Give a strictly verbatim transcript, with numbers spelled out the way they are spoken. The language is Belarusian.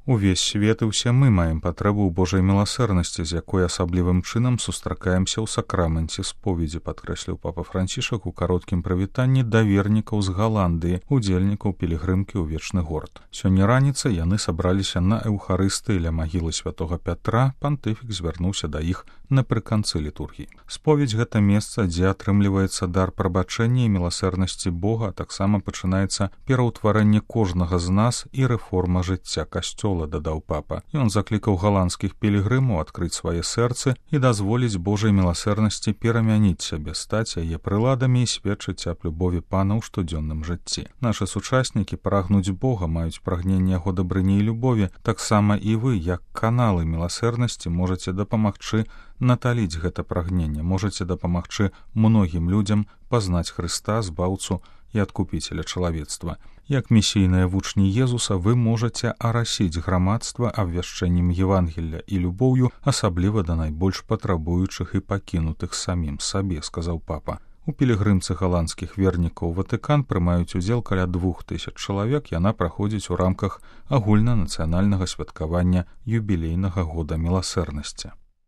Увесь свет і ўсе мы маем патрэбу ў Божай міласэрнасці, з якой асаблівым чынам сустракаемся ў сакраменце споведзі, падкрэсліў папа Францішак у кароткім прывітанні да вернікаў з Галандыі, удзельнікаў пілігрымкі ў вечны горад. Сёння раніцай яны сабраліся на эўхарыстыі ля магілы святога Пятра. Пантыфік звярнуўся да іх напрыканцы літургіі. Споведзь — гэта месца, дзе атрымліваецца дар прабачэння і міласэрнасці Бога, а таксама пачынаецца пераўтварэнне кожнага з нас і рэформа жыцця касцёла, дадаў папа. Ён заклікаў галандскіх пілігрымаў адкрыць свае сэрцы і дазволіць Божай міласэрнасці перамяніць сябе, стаць яе прыладамі і сведчыць аб любові Пана ў штодзённым жыцці. Нашы сучаснікі прагнуць Бога, маюць прагненне яго дабрыні і любові. Таксама і вы, як каналы міласэрнасці, можаце дапамагчы наталіць гэта прагненне, можаце дапамагчы многім людзям пазнаць Хрыста, збаўцу і адкупіцеля чалавецтва. Як місійныя вучні Езуса вы можаце арасіць грамадства абвяшчэннем Евангелля і любоўю, асабліва да найбольш патрабуючых і пакінутых самім сабе, сказаў папа. У пілігрымцы галандскіх вернікаў Ватыкан прымаюць удзел каля двух тысяч чалавек. Яна праходзіць у рамках агульнанацыянальнага святкавання юбілейнага года міласэрнасці.